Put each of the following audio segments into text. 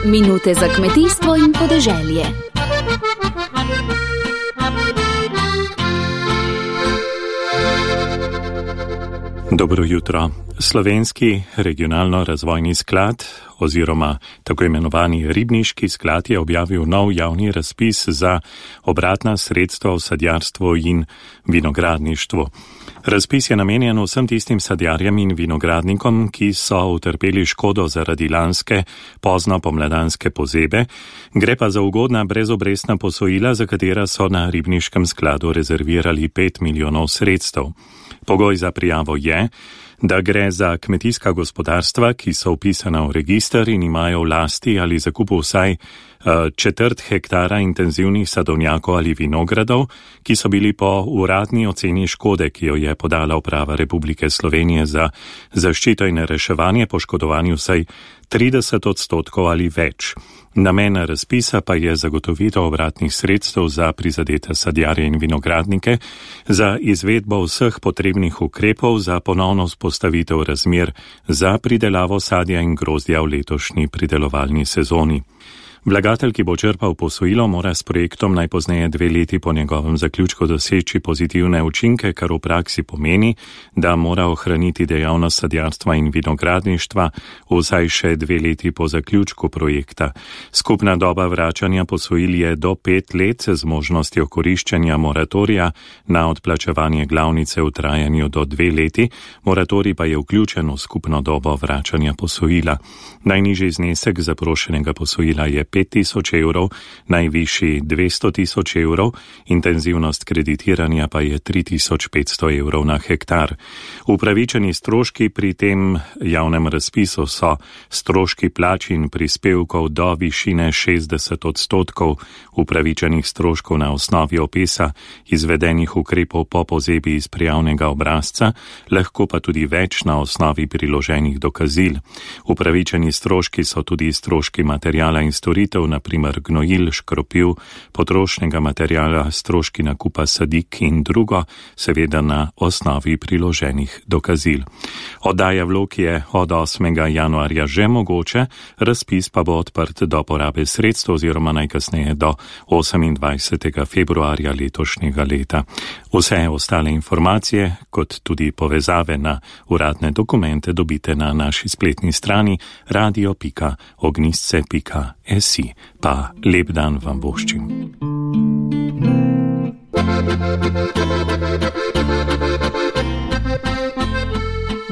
Minute za kmetijstvo in podeželje. Dobro jutro. Slovenski regionalno-razvojni sklad oziroma tako imenovani ribniški sklad je objavil nov javni razpis za obratna sredstva v sadjarstvu in vinogradništvu. Razpis je namenjen vsem tistim sadjarjem in vinogradnikom, ki so utrpeli škodo zaradi lanske pozno pomladanske pozebe, gre pa za ugodna brezobrestna posojila, za katera so na ribniškem skladu rezervirali 5 milijonov sredstev. Pogoj za prijavo je, da gre za kmetijska gospodarstva, ki so vpisana v register in imajo v lasti ali zakupu vsaj četrt hektara intenzivnih sadovnjakov ali vinogradov, ki so bili po uradni oceni škode, ki jo je podala Uprava Republike Slovenije za zaščito in reševanje, poškodovani vsaj 30% ali več. Namen razpisa pa je zagotovitev obratnih sredstev za prizadete sadjarje in vinogradnike, za izvedbo vseh potrebnih ukrepov za ponovno vzpostavitev razmer za pridelavo sadja in grozdja v letošnji pridelovalni sezoni. Vlagatelj, ki bo črpal posojilo, mora s projektom najpozneje 2 leti po njegovem zaključku doseči pozitivne učinke, kar v praksi pomeni, da mora ohraniti dejavnost sadjarstva in vinogradništva vsaj še 2 leti po zaključku projekta. Skupna doba vračanja posojil je do 5 let z možnostjo koriščenja moratorija na odplačevanje glavnice v trajanju do 2 leti, moratorij pa je vključen v skupno dobo vračanja posojila. Najnižji znesek zaprošenega posojila je 5.000 evrov, najvišji 200.000 evrov, intenzivnost kreditiranja pa je 3.500 evrov na hektar. Upravičeni stroški pri tem javnem razpisu so stroški plač in prispevkov do višine 60% upravičenih stroškov na osnovi opisa izvedenih ukrepov po pozebi iz prijavnega obrazca, lahko pa tudi več na osnovi priloženih dokazil. Upravičeni stroški so tudi stroški materijala in storitev, na primer gnojil, škropiv, potrošnega materijala, stroški nakupa sadik in drugo, seveda na osnovi priloženih dokazil. Oddaja vlog je od 8. januarja že mogoče, razpis pa bo odprt do porabe sredstev oziroma najkasneje do 28. februarja letošnjega leta. Vse ostale informacije, kot tudi povezave na uradne dokumente, dobite na naši spletni strani radio.ognisce.si. Pa lep dan vam voščim.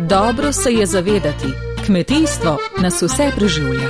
Dobro se je zavedati, kmetijstvo nas vse preživlja.